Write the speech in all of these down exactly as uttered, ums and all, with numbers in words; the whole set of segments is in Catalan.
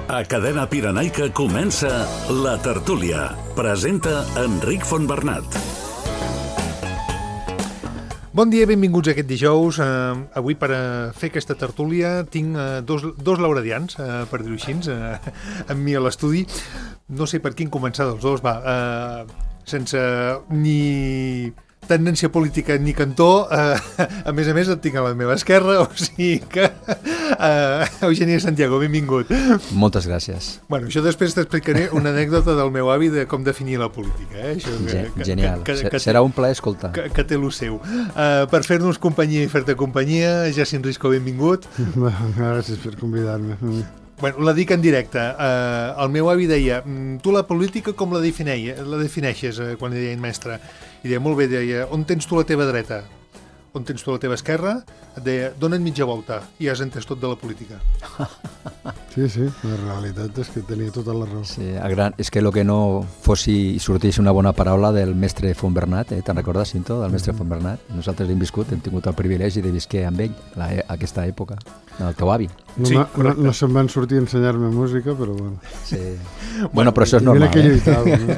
A Cadena Pirenaica comença La Tertúlia. Presenta Enric Fontbernat. Bon dia, benvinguts a aquest dijous. Uh, avui, per uh, fer aquesta tertúlia, tinc uh, dos, dos lauradians, uh, per dir-ho així, uh, amb mi a l'estudi. No sé per quin començar dels dos, va. Uh, sense ni tendència política ni cantó, uh, a més a més et tinc a la meva esquerra, o sigui que uh, Eugènia Santiago, benvingut. Moltes gràcies. Bueno, això després t'explicaré una anècdota del meu avi de com definir la política. Eh? Això, que, que, Genial, que, que, que, serà un plaer escoltar. Que, que té lo seu. Uh, per fer-nos companyia i fer-te companyia, Jacint Risco, benvingut. Gràcies per convidar-me. Bueno, la dic en directe. Uh, el meu avi deia, tu la política com la, definei, la defineixes uh, quan li deien mestre? I deia, molt bé, deia, on tens tu la teva dreta? On tens tu la teva esquerra? Et deia, dona't mitja volta i has entès tot de la política. Sí, sí, la realitat és que tenia tota la raó. Sí, gran, és que el que no fossi i sortís una bona paraula del mestre Fontbernat, eh? Te'n recordes, Cinto, del mestre Fontbernat? Nosaltres l'hem viscut, hem tingut el privilegi de visquer amb ell la, aquesta època, el teu avi. No, sí, no, no se'm van sortir a ensenyar-me música, però bueno. Sí. Bueno, però això és normal, eh? Lluitava, no?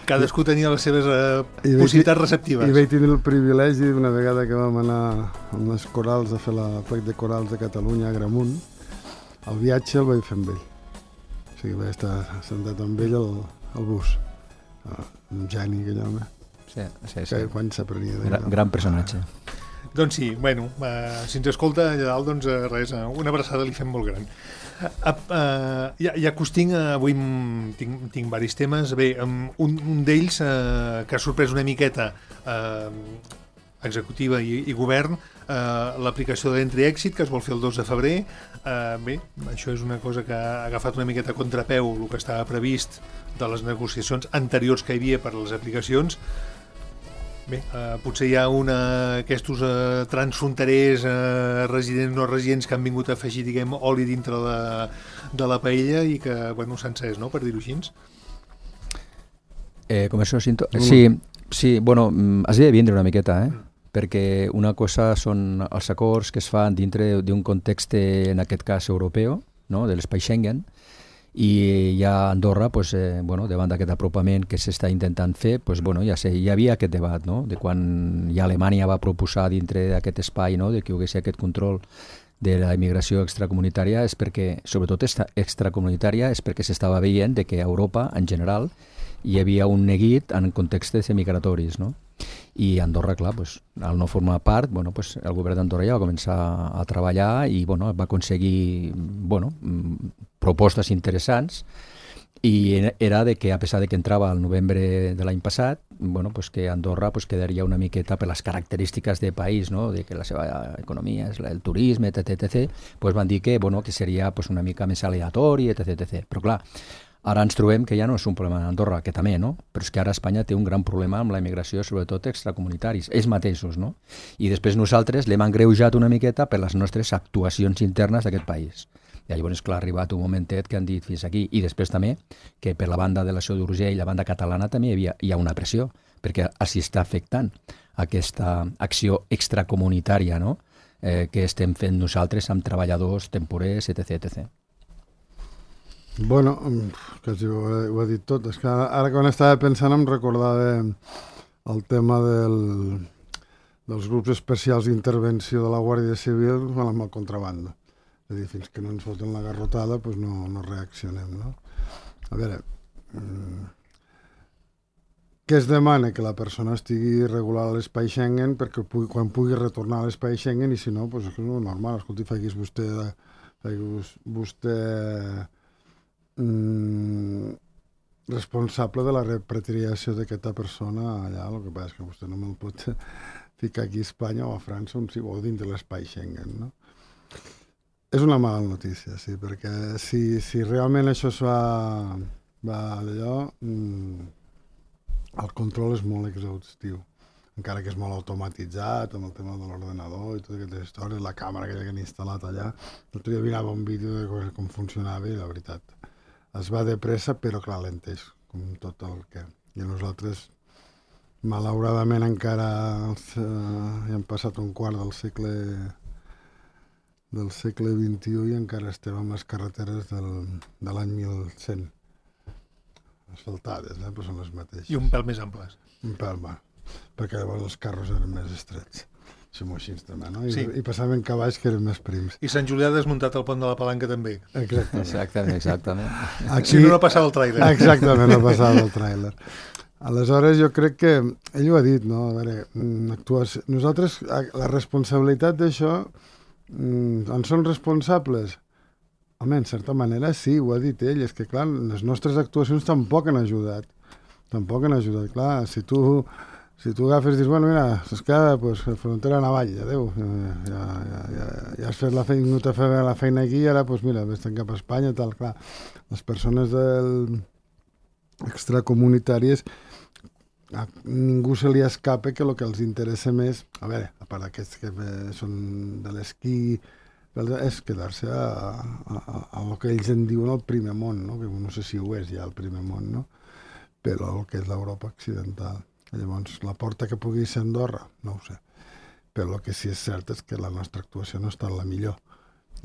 Cadascú tenia les seves uh, possibilitats receptives. I vaig tenir el privilegi una vegada que vam anar amb les corals a fer la plec de corals de Catalunya a Gramunt. El viatge el vaig fer amb ell. O sigui, vaig estar sentat amb ell al, al bus. Uh, un geni, aquell home. Sí, sí, sí. Que quan s'aprenia de gran, gran personatge. Doncs sí, bueno, uh, si ens escolta allà dalt, doncs uh, res, uh, una abraçada li fem molt gran. Uh, uh, ja, ja que us tinc, uh, avui tinc, tinc diversos temes. Bé, um, un, un d'ells uh, que ha sorprès una miqueta uh, executiva i, i govern, uh, l'aplicació de l'Entri-Èxit, que es vol fer el dos de febrer. Uh, bé, això és una cosa que ha agafat una miqueta a contrapeu el que estava previst de les negociacions anteriors que hi havia per a les aplicacions. Bé, uh, potser hi ha una aquests uh, transfronterers uh, residents no residents que han vingut a afegir, diguem, oli dintre de, de la paella i que, bueno, s'han encès, no?, per dir-ho així. Eh, com això, Cinto? Mm. Sí, sí, bueno, has de vindre una miqueta, eh? Mm. Perquè una cosa són els acords que es fan dintre d'un context, en aquest cas, europeu, no?, de l'espai Schengen, i ja a Andorra, pues, eh, bueno, davant d'aquest apropament que s'està intentant fer, pues, bueno, ja sé, hi havia aquest debat, no?, de quan ja Alemanya va proposar dintre d'aquest espai, no?, de que hi hagués aquest control de la immigració extracomunitària, és perquè, sobretot extracomunitària, és perquè s'estava veient de que a Europa, en general, hi havia un neguit en contextes migratoris, no? I Andorra, clar, pues, al no formar part, bueno, pues, el govern d'Andorra ja va començar a treballar i bueno, va aconseguir bueno, propostes interessants, i era de que, a pesar de que entrava al novembre de l'any passat, bueno, pues, que Andorra pues, quedaria una miqueta per les característiques de país, no? De que la seva economia és el turisme, etc, etc, pues, van dir que, bueno, que seria pues, una mica més aleatori, etc, etc. Però clar, ara ens trobem que ja no és un problema d'Andorra, que també, no? Però és que ara Espanya té un gran problema amb la immigració, sobretot extracomunitaris, ells mateixos, no? I després nosaltres l'hem engreujat una miqueta per les nostres actuacions internes d'aquest país. I llavors, clar, ha arribat un momentet que han dit fins aquí. I després també que per la banda de l'Ació d'Urgell, la banda catalana, també hi, havia, hi ha una pressió, perquè s'hi està afectant aquesta acció extracomunitària, no?, eh, que estem fent nosaltres amb treballadors temporers, etc, etcètera. Bueno, quasi ho, ho he dit tot. És que ara quan estava pensant em recordava el tema del, dels grups especials d'intervenció de la Guàrdia Civil amb el contrabando. És a dir, fins que no ens foten la garrotada, doncs no, no reaccionem, no? A veure, què es demana? Que la persona estigui regular a l'espai Schengen perquè pugui, quan pugui retornar a l'espai Schengen, i si no, doncs és normal. Escolti, facis vostè, facis vostè Mm, responsable de la repatriació d'aquesta persona allà. El que passa és que vostè no me'l pot ficar aquí a Espanya o a França on, o dins de l'espai Schengen, no? És una mala notícia, sí, perquè si, si realment això es va, va allò, mm, el control és molt exhaustiu, encara que és molt automatitzat amb el tema de l'ordenador i totes aquestes històries, la càmera aquella que han instal·lat allà. L'altre dia mirava un vídeo de com funcionava i la veritat es va de pressa, però clar, lenteix, com tot el que... I nosaltres, malauradament, encara els, eh, hi hem passat un quart del segle del segle vint-i-u i encara estem amb les carreteres del, de l'any mil cent. Asfaltades, eh? Però són les mateixes. I un pèl més amples. Un pèl, va. Perquè llavors els carros eren més estrets. Som així també, no? I, Sí. I passaven cavalls que eren més prims. I Sant Julià ha desmuntat el pont de la Palanca també. Exactament. Exactament, exactament. Aquí... Si no, no passava el tràiler. Exactament, no passava el tràiler. Aleshores, jo crec que, ell ho ha dit, no? A veure, actuació... nosaltres, la responsabilitat d'això, en són responsables? Home, en certa manera sí, ho ha dit ell, és que clar, les nostres actuacions tampoc han ajudat. Tampoc han ajudat, clar, si tu... Si tu agafes i dius, bueno, mira, s'escada, pues, frontera navall, adéu, ja, ja, ja, ja, ja has fet la feina, no t'ha fet la feina aquí, ara, pues, mira, vés-te'n cap a Espanya, tal, clar. Les persones del... extracomunitàries, a ningú se li escapa que el que els interessa més, a veure, a part d'aquests que són de l'esquí, és quedar-se a, a, a, a el que ells en diuen el primer món, no? Que no sé si ho és ja el primer món, no? Però el que és l'Europa occidental. Llavors, la porta que pugui ser Andorra, no ho sé. Però el que sí és cert és que la nostra actuació no està la millor.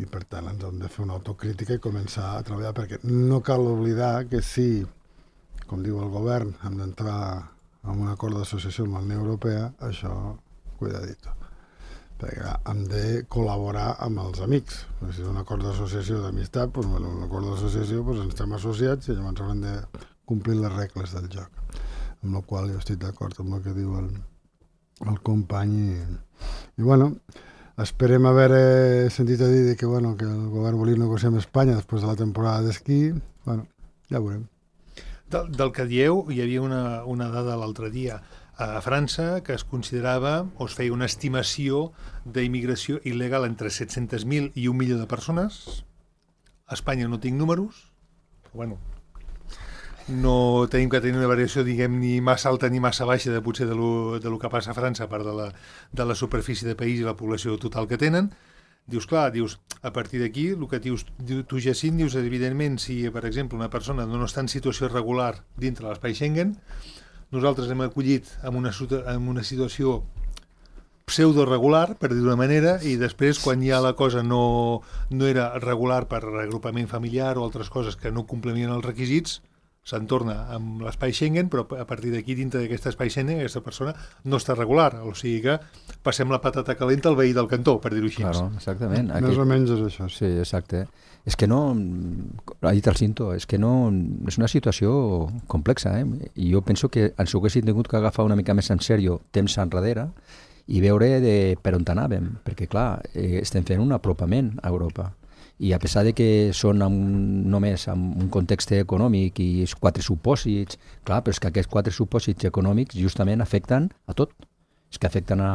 I per tant ens hem de fer una autocrítica i començar a treballar, perquè no cal oblidar que si, com diu el govern, hem d'entrar en un acord d'associació amb la Unió Europea, això, cuidadito. Perquè hem de col·laborar amb els amics. Si és un acord d'associació d'amistat, doncs, bueno, un acord d'associació, doncs ens estem associats i llavors haurem de complir les regles del joc. Amb la qual jo estic d'acord amb el que diu el, el company. I, i bueno, esperem haver sentit a dir que, bueno, que el govern volia negociar amb Espanya després de la temporada d'esquí. Bueno, ja veurem. Del, del que dieu, hi havia una, una dada l'altre dia a França que es considerava, o es feia una estimació d'immigració il·legal entre set-cents mil i un milió de persones. A Espanya no tinc números, però bueno, no tenim que tenir una variació, diguem, ni massa alta ni massa baixa de potser de lo, de lo que passa a França, a part de la, de la superfície de país i la població total que tenen. Dius, clar, dius, a partir d'aquí, el que dius, tu, Jacint, dius, evidentment, si, per exemple, una persona no està en situació irregular dintre de l'espai Schengen, nosaltres hem acollit en una, en una situació pseudo-regular, per dir d'una manera, i després, quan ja la cosa no, no era regular per reagrupament familiar o altres coses que no complementen els requisits, se'n torna amb l'espai Schengen, però a partir d'aquí, dintre d'aquest espai Schengen, aquesta persona no està regular, o sigui que passem la patata calenta al veí del cantó, per dir-ho així. Claro, exactament. Més Aquí... o menys és això. Sí, exacte. És que no, ha dit el Cinto, és que no, és una situació complexa, eh? I jo penso que ens ho haguéssim tingut que agafar una mica més en sèrio temps enrere i veure de per on anàvem, perquè clar, eh, estem fent un apropament a Europa. I a pesar de que són amb, només en un context econòmic i quatre supòsits, clar, però és que aquests quatre supòsits econòmics justament afecten a tot. És que afecten a,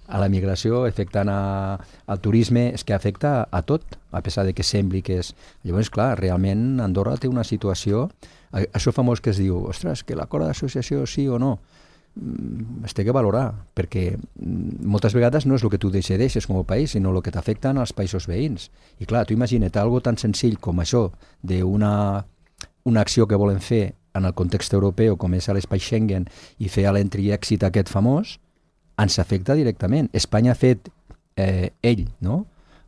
a la migració, afecten a, al turisme, és que afecta a tot, a pesar de que sembli que és... Llavors, clar, realment Andorra té una situació... Això famós que es diu, ostres, que l'acord d'associació sí o no, es té que valorar, perquè moltes vegades no és el que tu decideixes com a país, sinó el que t'afecten als països veïns. I clar, tu imagina't algo tan senzill com això, d'una una acció que volen fer en el context europeu, com és l'espai Schengen, i fer l'entry i èxit aquest famós, ens afecta directament. Espanya ha fet, eh, ell, no?,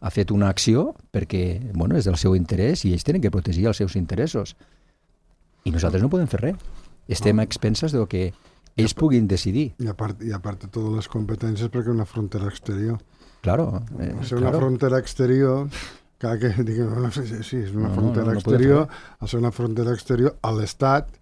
ha fet una acció perquè, bueno, és del seu interès i ells tenen que protegir els seus interessos. I nosaltres no podem fer res. Estem a expenses del que ells puguin decidir. I a part, i a part de totes les competències perquè una frontera exterior. Claro. Eh, ser una claro. frontera exterior, clar que diguem, no, sí, sí, és una no, frontera no, no, no exterior, al ser una frontera exterior, a l'Estat,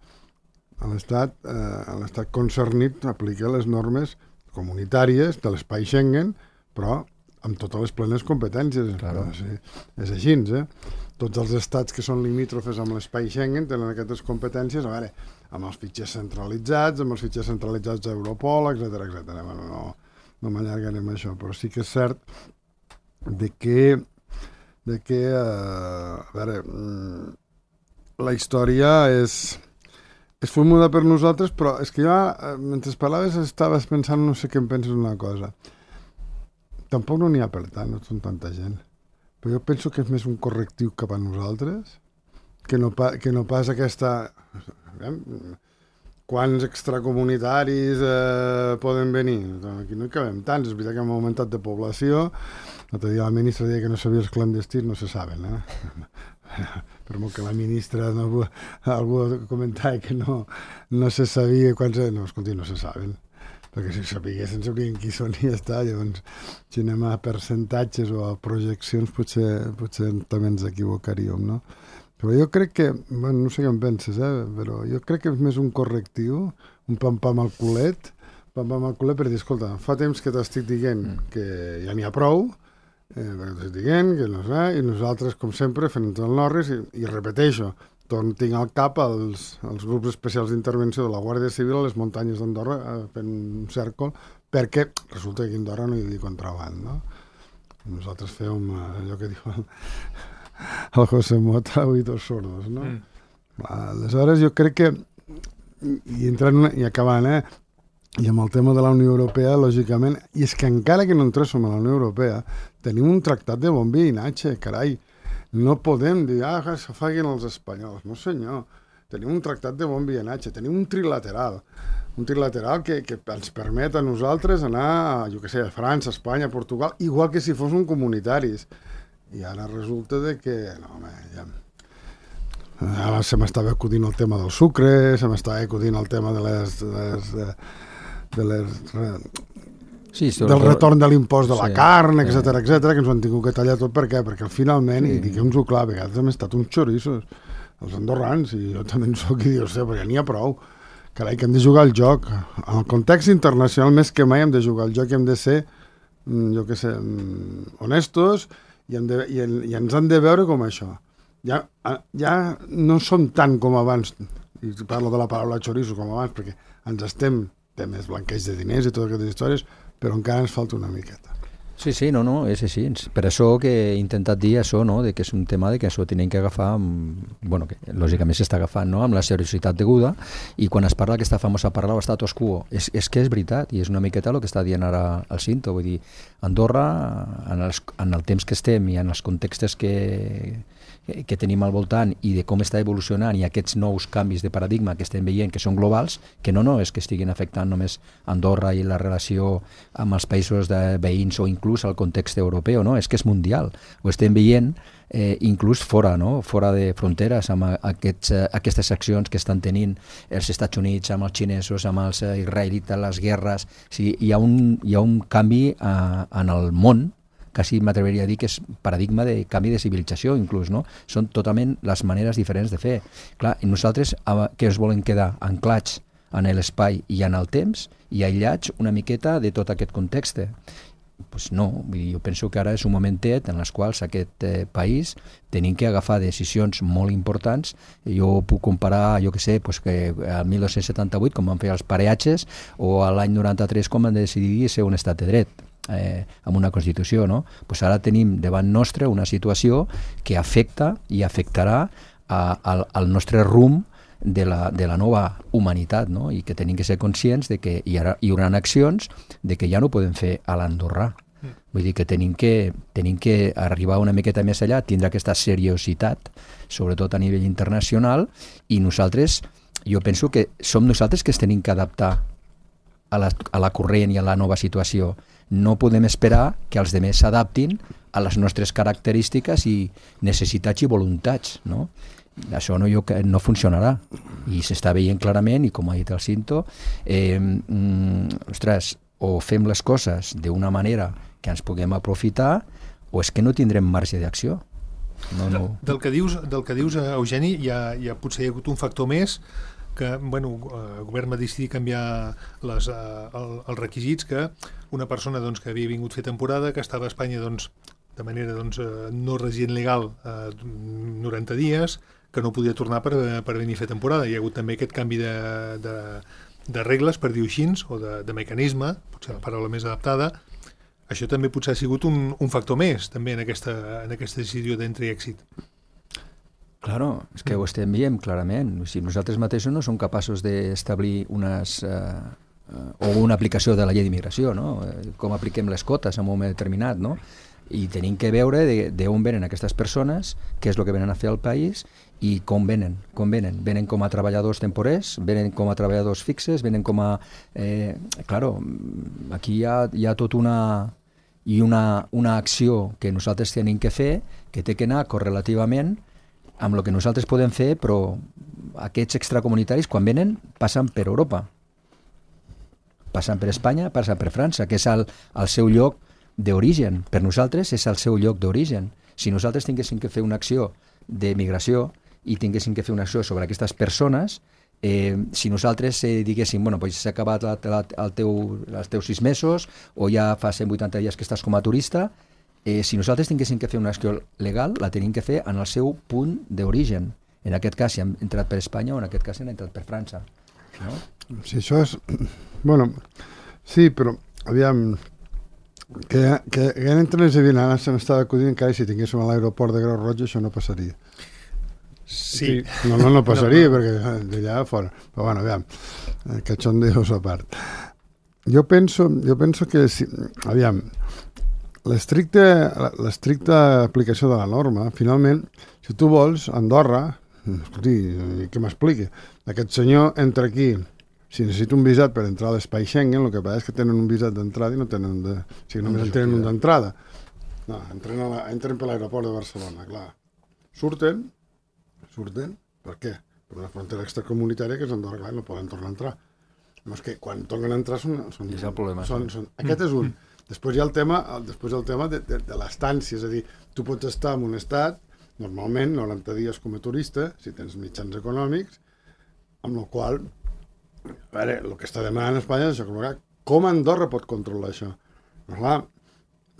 a l'Estat, eh, a l'Estat concernit aplica les normes comunitàries de l'espai Schengen, però amb totes les plenes competències. Claro. Sí, és així, eh? Tots els estats que són limítrofes amb l'espai Schengen tenen aquestes competències, a veure, amb els fitxers centralitzats, amb els fitxers centralitzats d'Europol, etcètera, etcètera. Bueno, no, no m'allargaré amb això, però sí que és cert de que, de que eh, a veure, la història és, és formuda per nosaltres, però és que jo, mentre parlaves, estaves pensant, no sé què em penses una cosa. Tampoc no n'hi ha per tant, no són tanta gent. Però jo penso que és més un correctiu cap a nosaltres, que no, pa, que no pas aquesta... Eh, quants extracomunitaris eh, poden venir? Aquí no hi cabem tants, és veritat que hem augmentat de població, L'altre dia la ministra deia que no sabia els clandestins, no se saben, eh? Per molt que la ministra no, algú comentava que no, no se sabia quan se... No, escolti, no se saben. Perquè si sapiguessin, sabrien qui són i ja està. Llavors, si anem a percentatges o a projeccions, potser, potser també ens equivocaríem, no? Però jo crec que, bueno, no sé què en penses, eh? Però jo crec que és més un correctiu, un pam-pam al culet, pam-pam al culet per dir, escolta, fa temps que t'estic dient que ja n'hi ha prou, eh, perquè t'estic dient que no sé, i nosaltres, com sempre, fent el norris, i, i repeteixo, tinc al cap els, els grups especials d'intervenció de la Guàrdia Civil a les muntanyes d'Andorra eh, fent un cèrcol, perquè resulta que a Andorra no hi havia contraband, no? Nosaltres fèiem eh, allò que diu el, el José Mota, oïdos sordos, no? Mm. Aleshores, jo crec que, i entrant una, i acabant, eh, i amb el tema de la Unió Europea, lògicament, i és que encara que no entréssim a la Unió Europea, tenim un tractat de bon veïnatge, carai. No podem dir, ah, que se facin els espanyols. No, senyor. Tenim un tractat de bon veïnatge, tenim un trilateral. Un trilateral que, que ens permet a nosaltres anar, a, jo què sé, a França, Espanya, Portugal, igual que si fossin comunitaris. I ara resulta de que, no, home, ja... Ara se m'estava acudint el tema del sucre, se m'estava acudint el tema de les... De les, de les Sí, del retorn de l'impost de la sí, carn, etcètera, sí. etcètera, que ens ho han tingut que tallar tot. Per què? Perquè finalment, sí. i diguem-nos-ho clar, a vegades hem estat uns xorissos, els andorrans, i jo també en soc i dius, perquè n'hi ha prou. Carai, que hem de jugar al joc. En el context internacional, més que mai, hem de jugar al joc i hem de ser, jo què sé, honestos i, hem de, i, i ens han de veure com això. Ja, ja no som tant com abans, i parlo de la paraula xoriço com abans, perquè ens estem, temes blanqueig de diners i totes aquestes històries, però encara ens falta una miqueta. Sí, sí, no, no, és així. Per això que he intentat dir això, no?, de que és un tema de que això tenim que agafar, amb, bueno, que lògicament s'està agafant, no?, amb la seriositat deguda, i quan es parla aquesta famosa paraula status quo, és, és que és veritat, i és una miqueta el que està dient ara el Cinto, vull dir, Andorra, en, els, en el temps que estem i en els contextes que que tenim al voltant i de com està evolucionant i aquests nous canvis de paradigma que estem veient, que són globals, que no, no és que estiguin afectant només Andorra i la relació amb els països de veïns o inclús el context europeu, no? És que és mundial. Ho estem veient eh, inclús fora, no? Fora de fronteres, amb aquests, eh, aquestes accions que estan tenint els Estats Units, amb els xinesos, amb els israelites, les guerres. O sigui, hi ha un, hi ha un canvi eh, en el món, quasi m'atreviria a dir que és paradigma de canvi de civilització, inclús, no? Són totalment les maneres diferents de fer. Clar, i nosaltres, que ens volen quedar anclats en l'espai i en el temps i aïllats una miqueta de tot aquest context. Pues no, jo penso que ara és un momentet en els quals aquest eh, país tenim que agafar decisions molt importants. Jo puc comparar, jo què sé, pues que al mil dos-cents setanta-vuit, com van fer els pareatges, o a l'any noranta-tres, com van decidir ser un estat de dret. Eh, amb una Constitució, no? Pues ara tenim davant nostre una situació que afecta i afectarà a, a, al nostre rumb de la, de la nova humanitat, no? I que tenim que ser conscients de que hi, ha, hi haurà accions de que ja no podem fer a l'andorrà. Mm. Vull dir que tenim, que tenim que arribar una miqueta més allà, tindre aquesta seriositat, sobretot a nivell internacional, i nosaltres, jo penso que som nosaltres que es tenim que adaptar a la, a la corrent i a la nova situació. No podem esperar que els demés s'adaptin a les nostres característiques i necessitats i voluntats, no? Això no, jo, no funcionarà. I s'està veient clarament, i com ha dit el Cinto, eh, mm, ostres, o fem les coses d'una manera que ens puguem aprofitar, o és que no tindrem marge d'acció. No, no. Del que dius, del que dius Eugeni, hi ha, hi ha, potser hi ha hagut un factor més, que bueno, el govern va decidir canviar les, el, els requisits, que una persona doncs, que havia vingut a fer temporada, que estava a Espanya doncs, de manera doncs, no resident legal eh, noranta dies, que no podia tornar per, per venir a fer temporada. Hi ha hagut també aquest canvi de, de, de regles, per dir-ho així, o de, de mecanisme, potser la paraula més adaptada. Això també potser ha sigut un, un factor més també en aquesta, en aquesta decisió d'entre i èxit. Claro, és que ho estem veient clarament. Si nosaltres mateixos no som capaços d'establir unes, eh, o una aplicació de la llei d'immigració, no? Com apliquem les cotes en un moment determinat, no? I tenim que veure d'on venen aquestes persones, què és el que venen a fer al país i com venen, com venen. Venen com a treballadors temporers, venen com a treballadors fixes, venen com a... Eh, claro, aquí hi ha, hi ha tot una... i una, una acció que nosaltres tenim que fer, que té que anar correlativament amb el que nosaltres podem fer, però aquests extracomunitaris, quan venen, passen per Europa. Passen per Espanya, passen per França, que és el, el seu lloc d'origen. Per nosaltres és el seu lloc d'origen. Si nosaltres tinguéssim que fer una acció de migració i tinguéssim que fer una acció sobre aquestes persones, eh, si nosaltres eh, diguéssim, bueno, pues s'ha acabat la, la, el teu, els teus sis mesos o ja fa cent vuitanta dies que estàs com a turista, eh, si nosaltres tinguéssim que fer una acció legal, la tenim que fer en el seu punt d'origen. En aquest cas, si hem entrat per Espanya o en aquest cas si hem entrat per França. No? Sí, això és... Bueno, sí, però, aviam, que, que, que entre les avianades se m'estava acudint que si tinguéssim a l'aeroport de Creu Roja això no passaria. Sí. No, no, no passaria, no, no. Perquè d'allà fora. Però bueno, aviam, cachondeos a part. Jo penso, jo penso que, si, aviam, l'estricta aplicació de la norma, finalment, si tu vols, Andorra, escolti, què m'expliqui? Aquest senyor entra aquí, si necessita un visat per entrar a l'espai Schengen, el que passa és que tenen un visat d'entrada i no tenen de... O sigui, només en tenen un d'entrada. No, entren, a la, entren per l'aeroport de Barcelona, clar. Surten, surten, per què? Per una frontera extracomunitària que és Andorra, clar, no poden tornar a entrar. No, és que quan tornen a entrar són... són, és el problema. Són, són, aquest és un. Després hi ha el tema, després hi ha el tema de, de, de l'estància, és a dir, tu pots estar en un estat, normalment, noranta dies com a turista, si tens mitjans econòmics, amb el qual, a veure, el que està demanant Espanya és això, com Andorra pot controlar això? Però clar,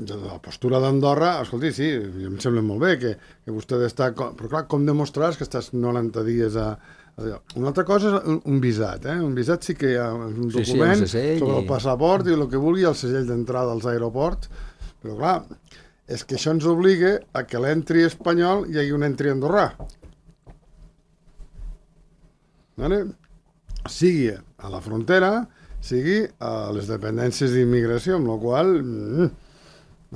la postura d'Andorra, escolti, sí, em sembla molt bé que, que vostè ha d'estar... Però clar, com demostraràs que estàs noranta dies a... Una altra cosa és un, un visat, eh? Un visat sí que hi ha un document sí, sí, sobre el passaport i el que vulgui, el segell d'entrada als aeroports, però clar, és que això ens obliga a que l'entri espanyol hi hagi un entri andorrà. Vale? Sigui a la frontera, sigui a les dependències d'immigració, amb la qual mm,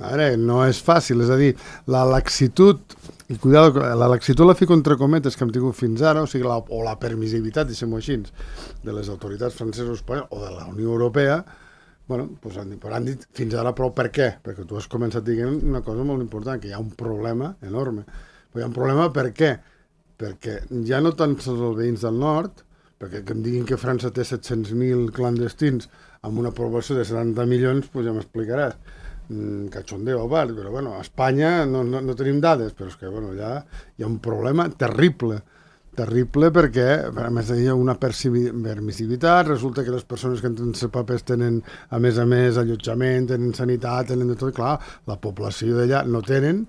veure, no és fàcil, és a dir, la laxitud, i cuidado, la laxitud la fico entre cometes que hem tingut fins ara, o sigui, la, o la permissivitat, deixem-ho així, de les autoritats franceses o espanyoles, o de la Unió Europea, bueno, doncs han dit, però han dit fins ara, però per què? Perquè tu has començat dient una cosa molt important, que hi ha un problema enorme. Però hi ha un problema per què? Perquè ja no tant sols els veïns del nord, perquè que em diguin que França té set-cents mil clandestins amb una població de setanta milions, doncs ja m'explicaràs. Mm, cachondeo a part, però bueno, a Espanya no, no, no tenim dades, però és que bueno, ja hi ha un problema terrible, terrible perquè a més hi ha una permissivitat, resulta que les persones que entren sense papers tenen a més a més allotjament, tenen sanitat, tenen de tot, clar, la població d'allà no tenen,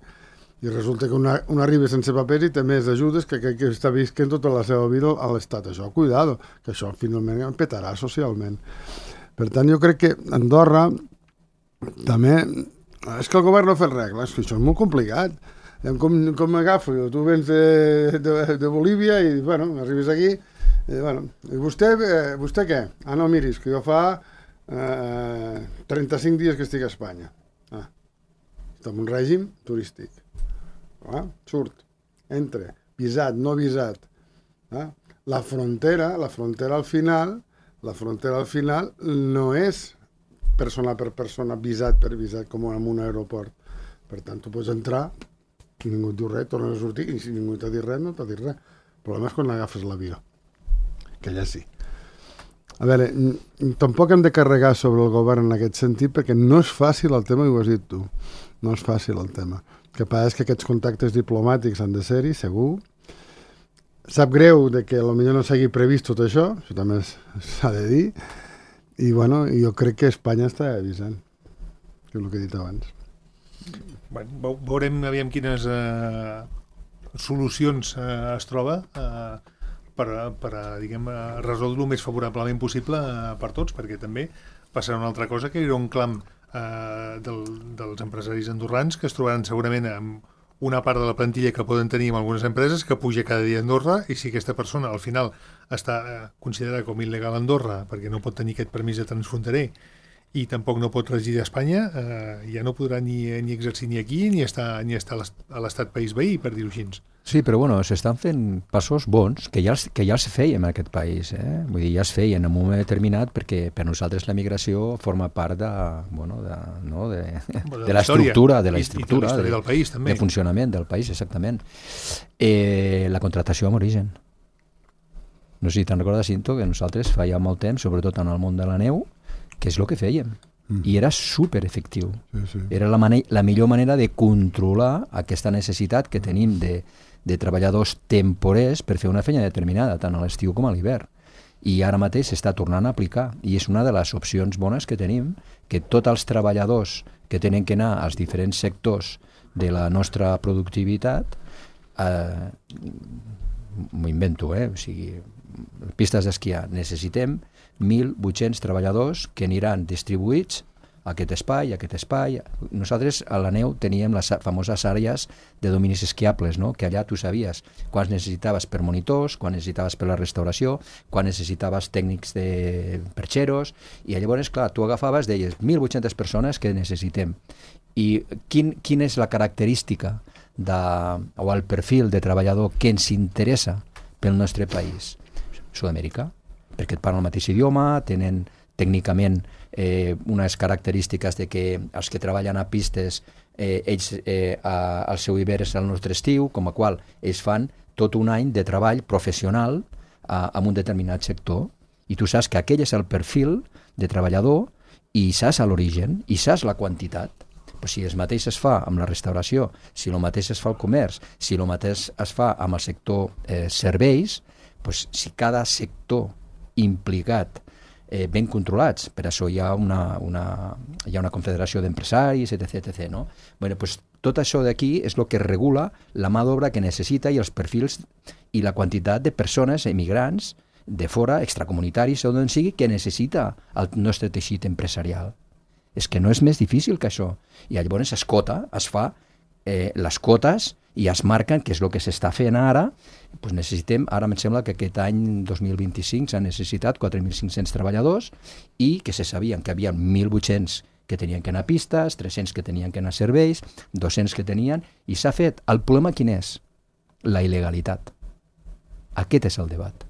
i resulta que una, una arriba sense papers i té més ajudes que aquell que està visquent tota la seva vida a l'Estat. Això, cuidado, que això finalment em petarà socialment. Per tant, jo crec que Andorra també... És que el govern no ha fet regles, que això és molt complicat. Com, com m'agafo? Tu vens de, de, de Bolívia i, bueno, arribes aquí i, bueno, i vostè, eh, vostè què? Ah, no, miris, que jo fa eh, trenta-cinc dies que estic a Espanya. Ah, està en un règim turístic. Ah, surt, entra, visat, no visat. Ah, la frontera, la frontera al final, la frontera al final no és persona per persona, visat per visat, com en un aeroport. Per tant, tu pots entrar, i ningú et diu res, tornes a sortir, i si ningú t'ha dit res, no t'ha dit res. El problema és quan agafes l'avió, que allà sí. A veure, tampoc hem de carregar sobre el govern en aquest sentit, perquè no és fàcil el tema, i ho has dit tu, no és fàcil el tema. El que passa és que aquests contactes diplomàtics han de ser-hi, segur. Sap greu de que potser no s'hagi previst tot això, això també s'ha de dir, i bueno, jo crec que Espanya està avisant, que és el que he dit abans. Bueno, veurem aviam quines eh, solucions eh, es troba eh, per, per diguem, resoldre el més favorablement possible eh, per tots, perquè també passarà una altra cosa, que hi haurà un clam eh, del, dels empresaris andorrans que es trobaran segurament amb una part de la plantilla que poden tenir en algunes empreses que puja cada dia a Andorra, i si aquesta persona al final està eh, considerada com il·legal a Andorra perquè no pot tenir aquest permís de transfronterer i tampoc no pot residir a Espanya, eh, ja no podrà ni, ni exercir ni aquí ni estar, ni estar a l'estat país veí, per dir-ho així. Sí, però bueno, s'estan fent passos bons que ja els, que ja els fèiem en aquest país. Eh? Vull dir, ja es feien en un moment determinat perquè per nosaltres la migració forma part de, bueno, de, no, de, de, de l'estructura, de la estructura, de, del país, també. de funcionament del país, exactament. Eh, la contractació amb origen. No sé si te'n recordes, Cinto, que nosaltres feia molt temps, sobretot en el món de la neu, que és el que fèiem. Mm. I era superefectiu. Sí, sí. Era la, mane- la millor manera de controlar aquesta necessitat que tenim de, de treballadors temporers per fer una feina determinada, tant a l'estiu com a l'hivern. I ara mateix s'està tornant a aplicar. I és una de les opcions bones que tenim, que tots els treballadors que tenen que anar als diferents sectors de la nostra productivitat, eh, m'ho invento, eh? O sigui, pistes d'esquiar, necessitem mil vuit-cents treballadors que aniran distribuïts a aquest espai, a aquest espai. Nosaltres a la neu teníem les famoses àrees de dominis esquiables, no? Que allà tu sabies quants necessitaves per monitors, quan necessitaves per la restauració, quan necessitaves tècnics de perxeros, i llavors, clar, tu agafaves, deies mil vuit-centes persones que necessitem. I quin, quina és la característica de, o el perfil de treballador que ens interessa pel nostre país? Sud-amèrica, perquè et parlen el mateix idioma, tenen tècnicament eh, unes característiques de que els que treballen a pistes, eh, ells eh, a, el seu hivern és el nostre estiu, com a qual ells fan tot un any de treball professional a, en un determinat sector, i tu saps que aquell és el perfil de treballador i saps l'origen i saps la quantitat. Però si el mateix es fa amb la restauració, si el mateix es fa al comerç, si el mateix es fa amb el sector eh, serveis, pues, si cada sector implicat, eh, ben controlats, per això hi ha una, una, hi ha una confederació d'empresaris, etc, etcètera. No? Bueno, pues, tot això d'aquí és el que regula la mà d'obra que necessita i els perfils i la quantitat de persones emigrants de fora, extracomunitaris o d'on sigui, que necessita el nostre teixit empresarial. És que no és més difícil que això. I llavors es cota, es fa eh, les cotes i es marquen, que és el que s'està fent ara, doncs necessitem, ara em sembla que aquest any dos mil vint-i-cinc s'han necessitat quatre mil cinc-cents treballadors i que se sabien que hi havia mil vuit-cents que tenien que anar a pistes, tres-cents que tenien que anar a serveis, dos-cents que tenien, i s'ha fet. El problema quin és? La il·legalitat. Aquest és el debat.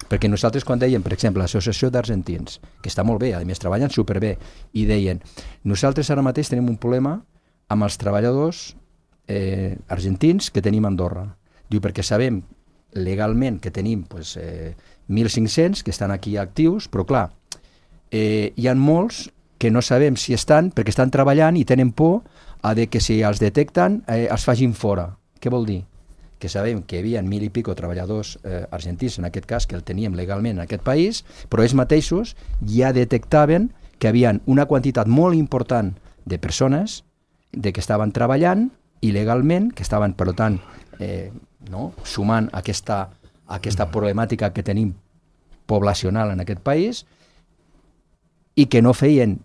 Perquè nosaltres quan dèiem, per exemple, l'Associació d'Argentins, que està molt bé, a més treballen superbé, i deien, nosaltres ara mateix tenim un problema amb els treballadors eh, argentins que tenim a Andorra. Diu, perquè sabem legalment que tenim pues, eh, mil cinc-cents que estan aquí actius, però clar, eh, hi ha molts que no sabem si estan, perquè estan treballant i tenen por a de que si els detecten eh, els facin fora. Què vol dir? Que sabem que hi havia mil i pico treballadors eh, argentins, en aquest cas, que el teníem legalment en aquest país, però ells mateixos ja detectaven que hi havia una quantitat molt important de persones de que estaven treballant il·legalment, que estaven, per tant, eh, no, sumant aquesta, aquesta problemàtica que tenim poblacional en aquest país i que no feien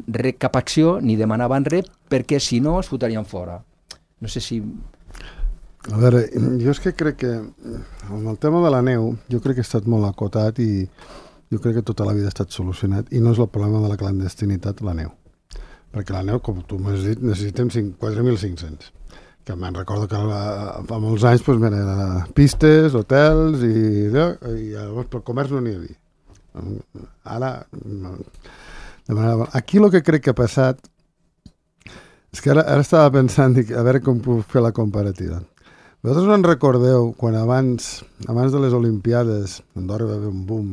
re, cap acció ni demanaven res perquè si no es fotrien fora. No sé si... A veure, jo és que crec que amb el tema de la neu jo crec que ha estat molt acotat i jo crec que tota la vida ha estat solucionat i no és el problema de la clandestinitat la neu. Perquè la neu, com tu m'has dit, necessitem quatre mil cinc-cents. Que me'n recordo que fa molts anys doncs, mira, pistes, hotels i, i llavors pel comerç no n'hi havia. Ara, aquí el que crec que ha passat és que ara, ara estava pensant dic, a veure com puc fer la comparativa. Vosaltres no en recordeu quan abans, abans de les Olimpiades Andorra va haver un boom,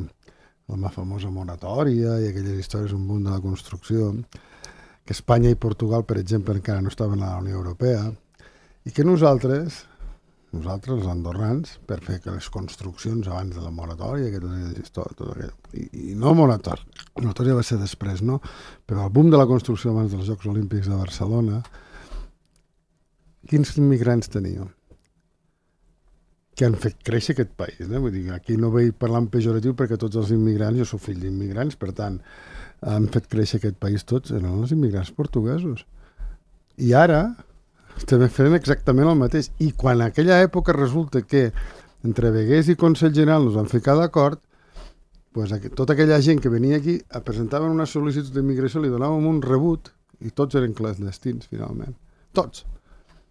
la famosa moratòria i aquelles històries, un boom de la construcció, que Espanya i Portugal, per exemple, encara no estaven a la Unió Europea, i que nosaltres, nosaltres, els andorrans, per fer que les construccions abans de la moratòria, que tot, tot aquell, i, i no moratòria, la moratòria va ser després, no? Però el boom de la construcció abans dels Jocs Olímpics de Barcelona, quins immigrants teníem? Que han fet créixer aquest país, eh? Vull dir, aquí no vull parlar en pejoratiu perquè tots els immigrants, jo soc fill d'immigrants, per tant, han fet créixer aquest país tots, eren els immigrants portuguesos. I ara estem fent exactament el mateix. I quan en aquella època resulta que entre Veguers i Consell General nos van ficar d'acord, pues, tota aquella gent que venia aquí presentaven una sol·licitud d'immigració, li donàvem un rebut i tots eren clandestins, finalment. Tots.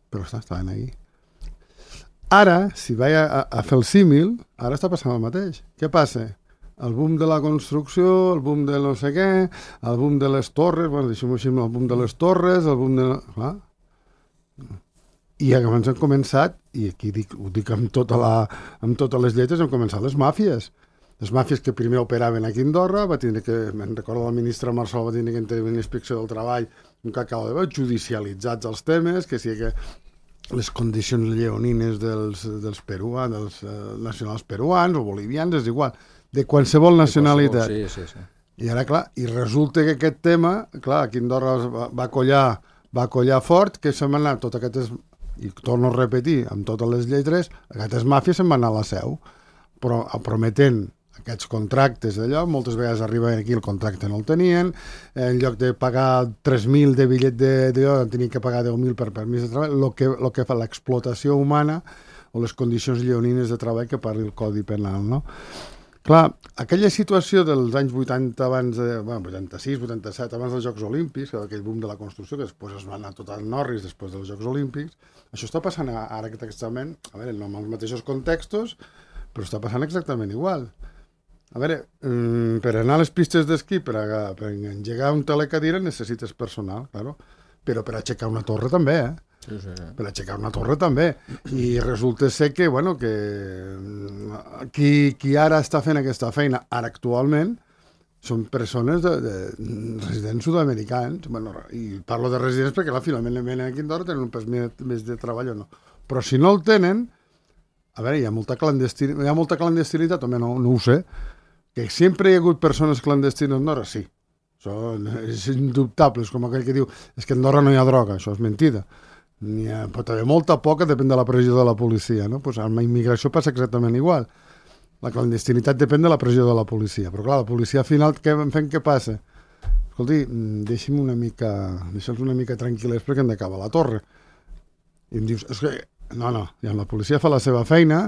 Però està, estaven aquí. Ara, si vaig a, a fer el símil, ara està passant el mateix. Què passa? El boom de la construcció, el boom de no sé què, el boom de les torres, bueno, deixem-ho així, el boom de les torres, el boom de... Clar. I abans hem començat, i aquí dic, ho dic amb, tota la, amb totes les lletres, hem començat les màfies. Les màfies que primer operaven aquí a Andorra, va tindre que, me'n recordo el ministre Marçal, va tindre que intervenir l'inspecció del treball, un cacau de veu, judicialitzats els temes, que sí que les condicions lleonines dels, dels peruans, dels eh, nacionals peruans o bolivians, és igual, de qualsevol nacionalitat. Sí, sí, sí. I ara, clar, i resulta que aquest tema, clar, aquí a Andorra va, va, collar, va collar fort, que se'n van anar tot aquestes, i torno a repetir, amb totes les lletres, aquestes màfies se'n van anar a la seu, però prometent aquests contractes d'allò, moltes vegades arribaven aquí, el contracte no el tenien, en lloc de pagar tres mil de bitllet d'allò, tenien que pagar deu mil per permís de treball, el que, lo que fa l'explotació humana o les condicions lleonines de treball que parli el Codi Penal, no? Clar, aquella situació dels anys vuitanta abans de... Bueno, vuitanta-sis, vuitanta-set, abans dels Jocs Olímpics, aquell boom de la construcció, que després es va anar tot al Norris després dels Jocs Olímpics, això està passant ara exactament, a veure, no amb els mateixos contextos, però està passant exactament igual. A veure, per anar a les pistes d'esquí, per, a, per engegar un telecadira necessites personal, claro, però per aixecar una torre també, eh? Sí, sí, sí. Per aixecar una torre també. I resulta ser que, bueno, que qui, qui ara està fent aquesta feina, ara actualment, són persones de, de residents sud-americans. Bueno, i parlo de residents perquè, clar, finalment venen aquí a Andorra, tenen un pes més de treball o no. Però si no el tenen, a veure, hi ha molta clandestinitat, hi ha molta clandestinitat, també no, no ho sé, que sempre hi ha hagut persones clandestines a Andorra, sí. Això és indubtable, és com aquell que diu és que a Andorra no hi ha droga, això és mentida. N'hi ha, pot haver molta poca, depèn de la pressió de la policia, no? Pues amb la immigració passa exactament igual. La clandestinitat depèn de la pressió de la policia, però clar, la policia al final què fem, què passa? Escolti, deixi'm una mica, deixa'ls una mica tranquil·les perquè hem d'acabar la torre. I em dius, és que, no, no, ja la policia fa la seva feina,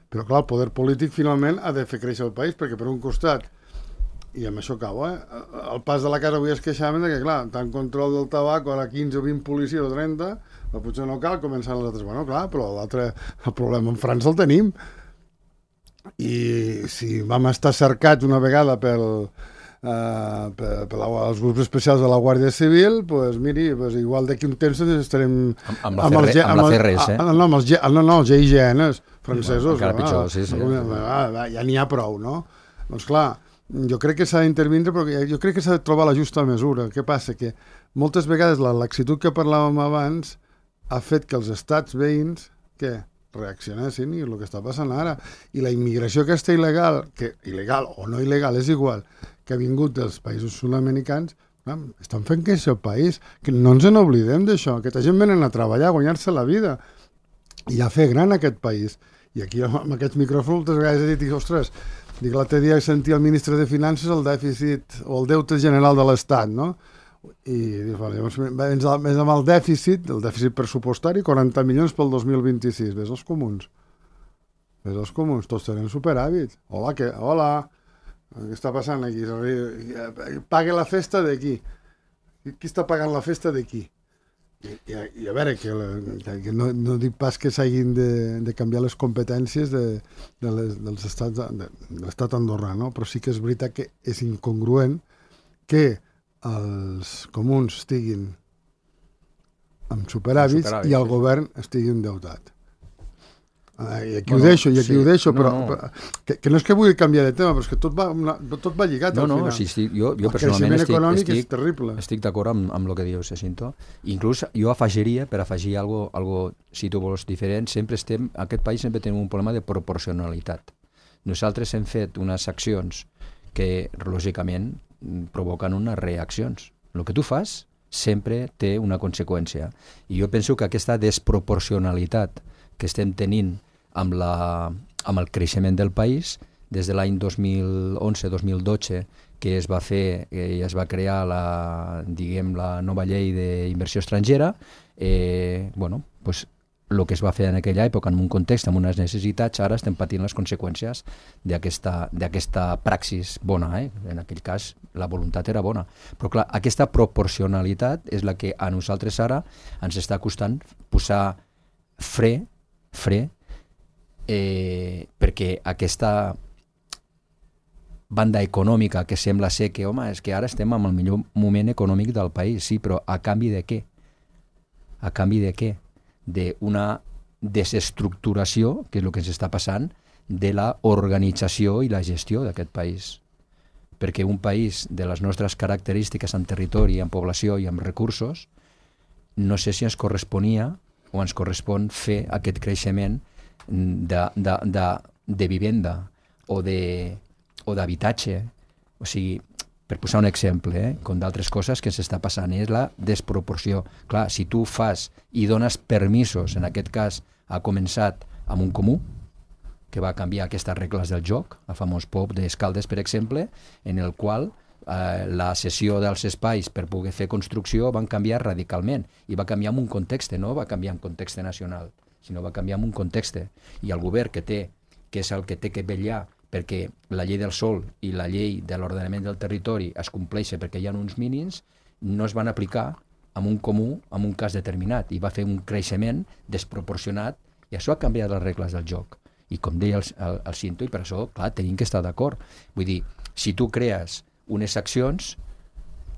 però clar, el poder polític finalment ha de fer créixer el país, perquè per un costat, i amb això acabo, eh? Al pas de la casa avui es queixaven que, clar, tant control del tabac, ara quinze o vint policies o trenta, però potser no cal, començant les altres. Bueno, clar, però l'altre, el problema en França el tenim. I si vam estar cercats una vegada pel, Uh, per, per la, els grups especials de la Guàrdia Civil, pues, miri, pues, igual d'aquí un temps estarem amb, amb la, amb els, amb la C R S, eh? No, amb els, no, no, els G I G N francesos. Encara pitjor, no? Sí, sí. Ja, ja n'hi ha prou, no? Doncs clar, jo crec que s'ha d'intervindre, però jo crec que s'ha de trobar la justa mesura. Què passa? Que moltes vegades la laxitud que parlàvem abans ha fet que els estats veïns, què? Reaccionessin, i el que està passant ara. I la immigració aquesta il·legal, que il·legal o no il·legal, és igual, que ha vingut dels països sud-americans, estan fent créixer el país, que no ens n'oblidem d'això. Aquesta gent venen a treballar, a guanyar-se la vida i a fer gran aquest país. I aquí amb aquests micròfons moltes vegades he dit, ostres, dic, l'altre dia sentia el ministre de Finances el dèficit o el deute general de l'Estat, no? I dius, vale, llavors més amb el dèficit, el dèficit pressupostari, quaranta milions pel dos mil vint-i-sis. Ves els comuns. Ves els comuns, tots tenen superàvit. Hola, què? Hola. Què està passant aquí? Pague la festa d'aquí. Qui està pagant la festa d'aquí? I, i, i a veure, que, que no, no dic pas que s'hagin de, de canviar les competències de, de les, dels estats, de, de l'estat andorrà, no? Però sí que és veritat que és incongruent que els comuns estiguin amb superàvits, superàvits i el sí. govern estigui endeutat. Uh, I aquí bueno, ho deixo, i aquí sí. ho deixo, però, no, no. però que, que no és que vulgui canviar de tema, però és que tot va, una, tot va lligat no, al final. No, sí, sí, jo, jo el personalment estic, econòmic estic, és terrible. Estic d'acord amb, amb el que dius, Jacinto. Inclús jo afegiria, per afegir algo, algo, si tu vols, diferent, sempre estem, aquest país sempre tenim un problema de proporcionalitat. Nosaltres hem fet unes accions que, lògicament, provoquen unes reaccions. El que tu fas sempre té una conseqüència. I jo penso que aquesta desproporcionalitat que estem tenint amb, la, amb el creixement del país, des de l'any dos mil onze dos mil dotze, que es va fer, eh, es va crear la, diguem, la nova llei d'inversió estrangera, eh, bueno, pues, el que es va fer en aquella època, en un context, amb unes necessitats, ara estem patint les conseqüències d'aquesta praxis bona. Eh? En aquell cas, la voluntat era bona. Però clar, aquesta proporcionalitat és la que a nosaltres ara ens està costant posar fre, fre, eh, perquè aquesta banda econòmica que sembla ser que, home, és que ara estem en el millor moment econòmic del país, sí, però a canvi de què? A canvi de què? D'una desestructuració, que és el que ens està passant, de la organització i la gestió d'aquest país. Perquè un país de les nostres característiques en territori, en població i en recursos, no sé si ens corresponia o ens correspon fer aquest creixement de, de, de, de vivenda o de o d'habitatge. O sigui, per posar un exemple, eh, com d'altres coses que s'està passant, és la desproporció. Clar, si tu fas i dones permisos, en aquest cas ha començat amb un comú, que va canviar aquestes regles del joc, el famós P O P d'Escaldes, per exemple, en el qual eh, la cessió dels espais per poder fer construcció van canviar radicalment, i va canviar en un context, no va canviar en context nacional, sinó va canviar en un context. I el govern que té, que és el que té que vetllar perquè la llei del sòl i la llei de l'ordenament del territori es compleixen perquè hi ha uns mínims, no es van aplicar en un comú, en un cas determinat, i va fer un creixement desproporcionat, i això ha canviat les regles del joc. I com deia el, el, el Cinto, i per això, clar, tenim que estar d'acord. Vull dir, si tu crees unes accions,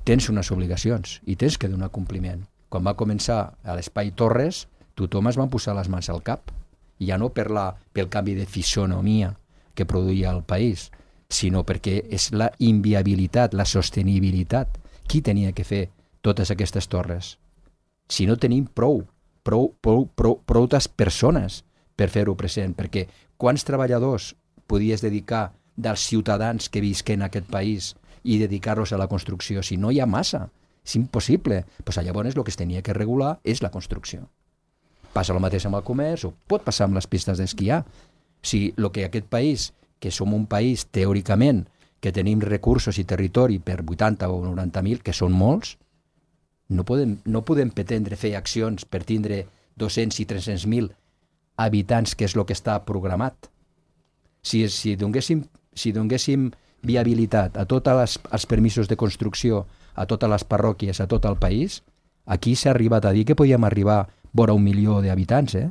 tens unes obligacions i tens que donar compliment. Quan va començar a l'Espai Torres, tothom es va posar les mans al cap, ja no per la, pel canvi de fisonomia que produïa el país, sinó perquè és la inviabilitat, la sostenibilitat. Qui tenia que fer totes aquestes torres? Si no tenim prou, prou, prou, prou, prou persones per fer-ho present, perquè quants treballadors podies dedicar dels ciutadans que visquen en aquest país i dedicar-los a la construcció? Si no hi ha massa, és impossible. Pues llavors el que es tenia que regular és la construcció. Passa el mateix amb el comerç, o pot passar amb les pistes d'esquiar. Si el que aquest país, que som un país teòricament que tenim recursos i territori per vuitanta o noranta mil, que són molts, no podem, no podem pretendre fer accions per tindre dos-cents i tres-cents mil habitants, que és el que està programat. Si, si, donéssim, si donéssim viabilitat a tots els permisos de construcció, a totes les parròquies, a tot el país, aquí s'ha arribat a dir que podíem arribar vora un milió d'habitants, eh?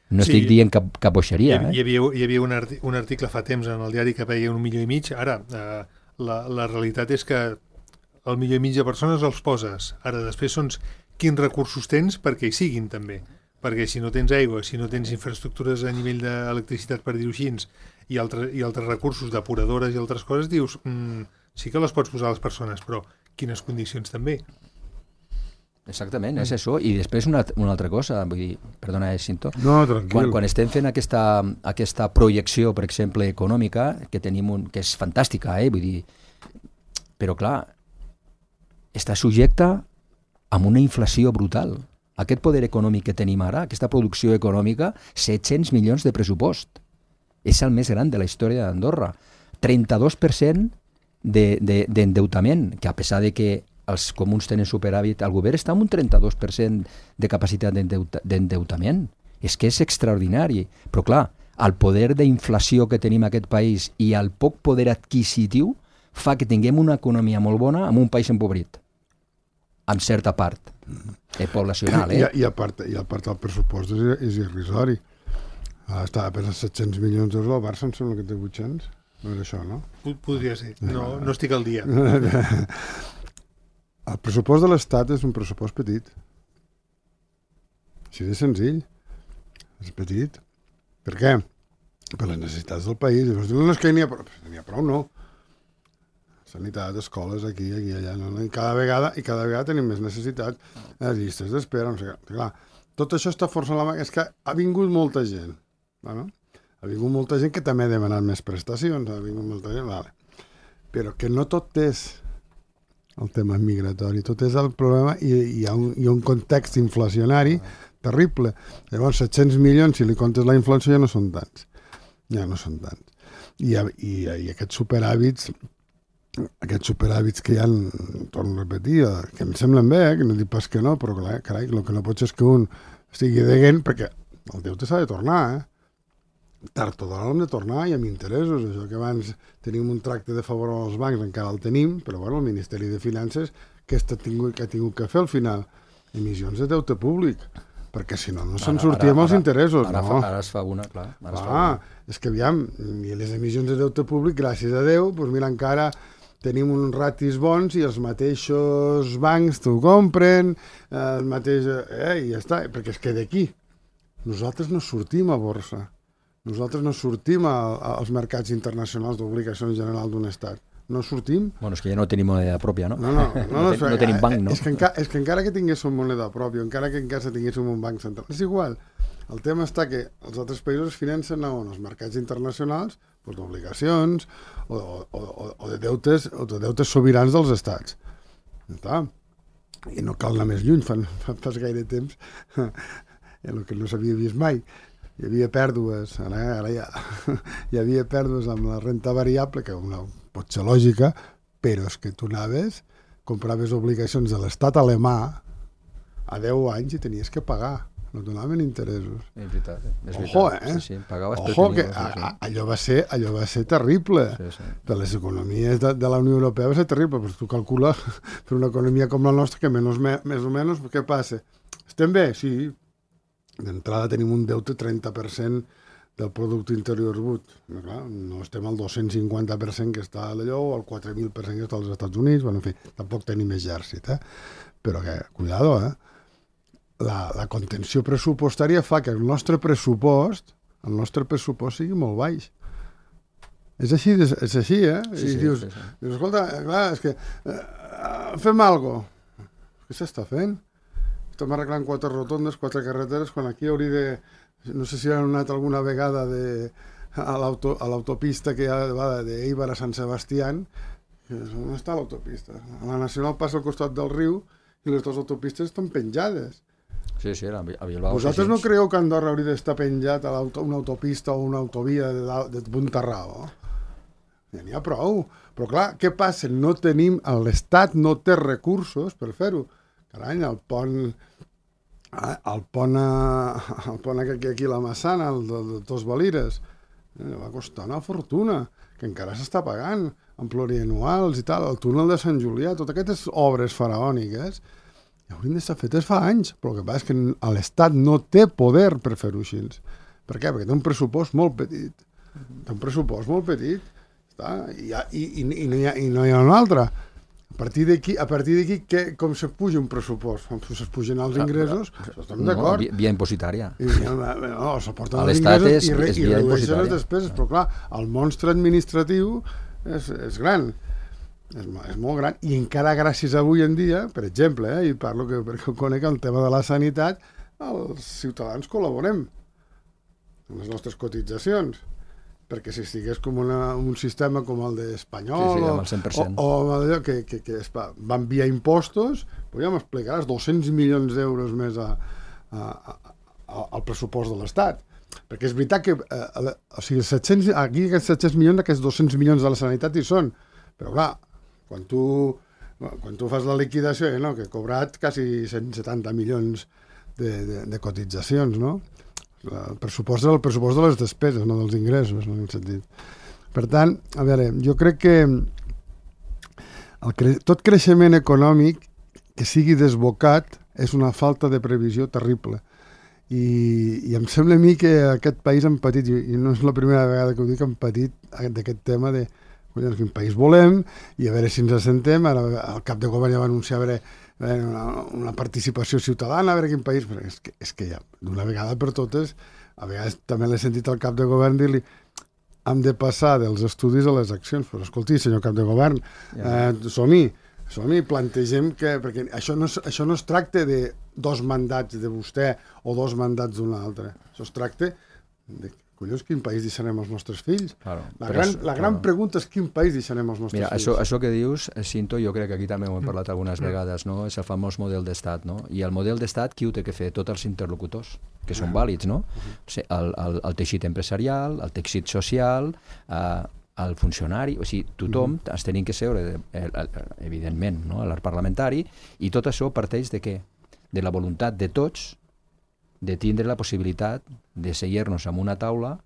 No sí, estic dient cap, cap boixeria. Hi, eh? hi havia, hi havia un, arti un article fa temps en el diari que veia un milió i mig. Ara, eh, la, la realitat és que el milió i mig de persones els poses. Ara, després són quins recursos tens perquè hi siguin, també. Perquè si no tens aigua, si no tens infraestructures a nivell d'electricitat, per dir-ho així, i, altre, i altres recursos depuradores i altres coses, dius, mm, sí que les pots posar a les persones, però quines condicions també. Exactament, és això. I després una, una altra cosa, vull dir, perdona, eh, Cinto. No, tranquil. Quan, quan estem fent aquesta, aquesta projecció, per exemple, econòmica, que tenim un, que és fantàstica, eh, vull dir, però clar, està subjecta a una inflació brutal. Aquest poder econòmic que tenim ara, aquesta producció econòmica, set-cents milions de pressupost. És el més gran de la història d'Andorra. trenta-dos per cent d'endeutament, que a pesar de que els comuns tenen superàvit, el govern està amb un trenta-dos per cent de capacitat d'endeutament. És que és extraordinari. Però clar, el poder d'inflació que tenim en aquest país i el poc poder adquisitiu fa que tinguem una economia molt bona amb un país empobrit. En certa part. Eh, poblacional, eh? I, i, a part, I a part el pressupost és, és irrisori. Ah, estava pensant set-cents milions d'euros, el Barça em sembla que té vuit-cents. No era això, no? Podria ser. No, no estic al dia. El pressupost de l'Estat és un pressupost petit. Així de senzill. És petit. Per què? Per les necessitats del país. Llavors diuen, no, és que n'hi ha prou. N'hi ha prou, no. Sanitat, escoles, aquí, aquí, allà. No? I cada vegada i cada vegada tenim més necessitat. Les llistes d'espera, no sé què. Clar, tot això està forçant la mà. És que ha vingut molta gent. Bueno, ha vingut molta gent que també ha demanat més prestacions. Ha vingut molta gent, vale. Però que no tot és el tema migratori, tot és el problema i hi ha un, hi ha un context inflacionari terrible. Llavors, set-cents milions, si li comptes la inflació, ja no són tants. Ja no són tants. I, i, i aquests superhàbits, aquests superhàbits que hi ha, torno a repetir, que em semblen bé, eh, que no dic pas que no, però clar, carai, el que no pots és que un estigui deguent, perquè el deute s'ha de tornar, eh? Tard o d'hora l'hem de tornar i amb interessos. Això que abans tenim un tracte de favor als bancs encara el tenim, però bueno, el Ministeri de Finances que ha tingut, que ha tingut que fer al final emissions de deute públic, perquè si no, no se'n sortíem els interessos. Ara, no. fa, ara es fa una, clar. Ara ah, es fa una. És que aviam, i les emissions de deute públic, gràcies a Déu, doncs mira, encara tenim uns ratis bons i els mateixos bancs t'ho compren, eh, el mateix... Eh, i ja està, perquè és que d'aquí nosaltres no sortim a borsa. Nosaltres no sortim a, a, als mercats internacionals d'obligacions generals d'un estat. No sortim. Bueno, és que ja no tenim moneda pròpia, no? No, no, no, no, no, no tenim banc, no? És que, enca, és que encara que tinguéssim moneda pròpia, encara que encara tinguéssim un banc central, és igual. El tema està que els altres països financen on els mercats internacionals doncs, d'obligacions o, o, o, o, de deutes, o de deutes sobirans dels estats. Està? I no cal anar més lluny, fa, fa, fa gaire temps, el que no s'havia vist mai. Hi havia pèrdues, ara, ara ja, hi havia pèrdues amb la renta variable, que una, pot ser lògica, però és que tu anaves, compraves obligacions de l'estat alemà a deu anys i tenies que pagar, no donaven interessos. És veritat, és veritat. Ojo, eh? Sí, sí, pagaves Ojo, que sí, sí. a, allò, va ser, allò va ser terrible. Sí, sí. Per les economies de, de la Unió Europea va ser terrible, però tu calcules per una economia com la nostra, que menys, més o menys, què passa? Estem bé? Sí. D'entrada tenim un deute trenta per cent del producte interior brut. No, clar, no estem al dos-cents cinquanta per cent que està a l'allò o al quatre mil per cent que està als Estats Units. Bueno, en fi, tampoc tenim exèrcit, eh? Però que, cuidado, eh? La, la contenció pressupostària fa que el nostre pressupost, el nostre pressupost sigui molt baix. És així, és, és així, eh? Sí, I sí, dius, sí, sí. dius, escolta, clar, és que eh, fem alguna cosa. Què s'està fent? Estem arreglant quatre rotondes, quatre carreteres, quan aquí hauria de... No sé si han anat alguna vegada de, a l'autopista que va d'Eibar a Sant Sebastián. On està l'autopista? A la Nacional passa al costat del riu i les dues autopistes estan penjades. Sí, sí, a Bilbao. Vosaltres no creieu que Andorra hauria d'estar penjat a una autopista o una autovia de, de Buntarrao? Ja n'hi ha prou. Però clar, què passa? No tenim... L'Estat no té recursos per fer-ho. Carai, el pont... El pont, el pont aquí a la Massana, el de, de Tos Valires, eh, va costar una fortuna, que encara s'està pagant, amb plurianuals i tal, el túnel de Sant Julià, totes aquestes obres faraòniques, haurien d'estar fetes fa anys, però el que passa és que l'Estat no té poder per fer-ho així. Per què? Perquè té un pressupost molt petit. Té un pressupost molt petit, està? I, i, i, i, no hi ha, i no hi ha un altre. A partir d'aquí, a partir d'aquí, com se puja un pressupost? Com se pugen els ingressos? Estem d'acord. No, via impositària. I, no, s'aporten els ingressos i, re, i redueixen les despeses. Però clar, el monstre administratiu és, és gran. És, és molt gran. I encara gràcies a avui en dia, per exemple, eh, i parlo que, perquè ho conec, el tema de la sanitat, els ciutadans col·laborem amb les nostres cotitzacions. Perquè si estigués com una, un sistema com el d'Espanyol, sí, sí, amb el cent per cent. o, o allò que, que, que es va, va enviar impostos, doncs ja m'explicaràs dos-cents milions d'euros més a, a, a, al pressupost de l'Estat. Perquè és veritat que eh, o sigui, set-cents, aquí aquests set-cents milions, aquests dos-cents milions de la sanitat hi són, però clar, quan tu, quan tu fas la liquidació, eh, no, que he cobrat quasi cent setanta milions de, de, de cotitzacions, no? El pressupost és el pressupost de les despeses, no dels ingressos, no, en aquest sentit. Per tant, a veure, jo crec que el cre... tot creixement econòmic que sigui desbocat és una falta de previsió terrible. I, i em sembla a mi que aquest país hem patit, i no és la primera vegada que ho dic, hem patit d'aquest tema de collons, quin país volem, i a veure si ens assentem. Ara el cap de govern ja va anunciar a veure Una, una participació ciutadana, a veure quin país, però és que, és que ja, d'una vegada per totes, a vegades també l'he sentit al cap de govern dir-li hem de passar dels estudis a les accions, però escolti, senyor cap de govern, eh, som-hi, som-hi, plantegem que, perquè això no, això no es tracta de dos mandats de vostè o dos mandats d'un altre, això es tracta de collons, quin país deixarem als nostres fills? Claro, la gran, la gran claro. pregunta és quin país deixarem als nostres Mira, fills. Això, això que dius, Cinto, jo crec que aquí també ho hem parlat algunes vegades, no? És el famós model d'estat, no? I el model d'estat, qui ho té que fer? Tots els interlocutors, que són vàlids, no? O sigui, el, el, el teixit empresarial, el teixit social, eh, el funcionari, o sigui, tothom es tenim que seure, evidentment, no? L'art parlamentari, i tot això parteix de què? De la voluntat de tots de tindre la possibilitat de seguir-nos en una taula,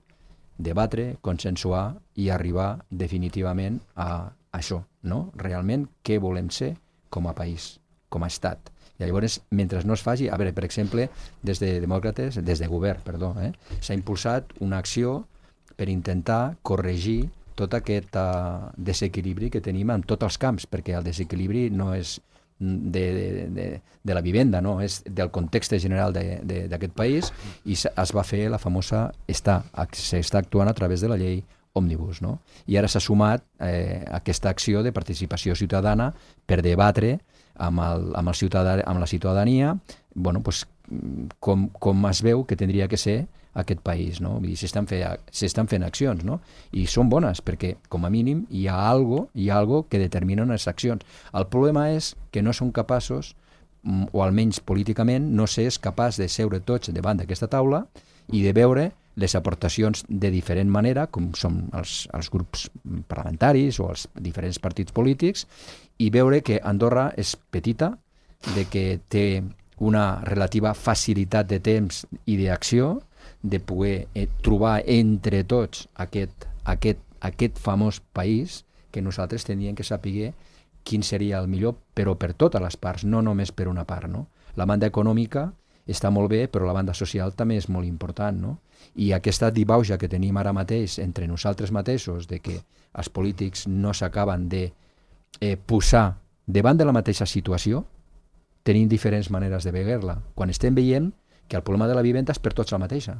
debatre, consensuar i arribar definitivament a això, no? Realment, què volem ser com a país, com a estat. I llavors, mentre no es faci, a veure, per exemple, des de demòcrates, des de govern, perdó, eh, s'ha impulsat una acció per intentar corregir tot aquest uh, desequilibri que tenim en tots els camps, perquè el desequilibri no és de, de, de, de la vivenda, no? És del context general d'aquest país, i es va fer la famosa, està, s'està actuant a través de la llei òmnibus, no? I ara s'ha sumat eh, aquesta acció de participació ciutadana per debatre amb, el, amb, el ciutadà, amb la ciutadania, bueno, pues, com, com es veu que tindria que ser aquest país, no? Vull dir, s'estan fent, s'estan fent accions, no? I són bones, perquè, com a mínim, hi ha algo, hi ha algo que determinen les accions. El problema és que no són capaços, o almenys políticament, no s'és capaç de seure tots davant d'aquesta taula i de veure les aportacions de diferent manera, com són els, els grups parlamentaris o els diferents partits polítics, i veure que Andorra és petita, de que té una relativa facilitat de temps i d'acció, de poder eh, trobar entre tots aquest, aquest, aquest famós país que nosaltres teníem que saber quin seria el millor, però per totes les parts, no només per una part, no? La banda econòmica està molt bé, però la banda social també és molt important, no? I aquesta dibauja que tenim ara mateix entre nosaltres mateixos, de que els polítics no s'acaben de eh, posar davant de la mateixa situació, tenim diferents maneres de veure-la. Quan estem veient que el problema de la vivenda és per tots la mateixa.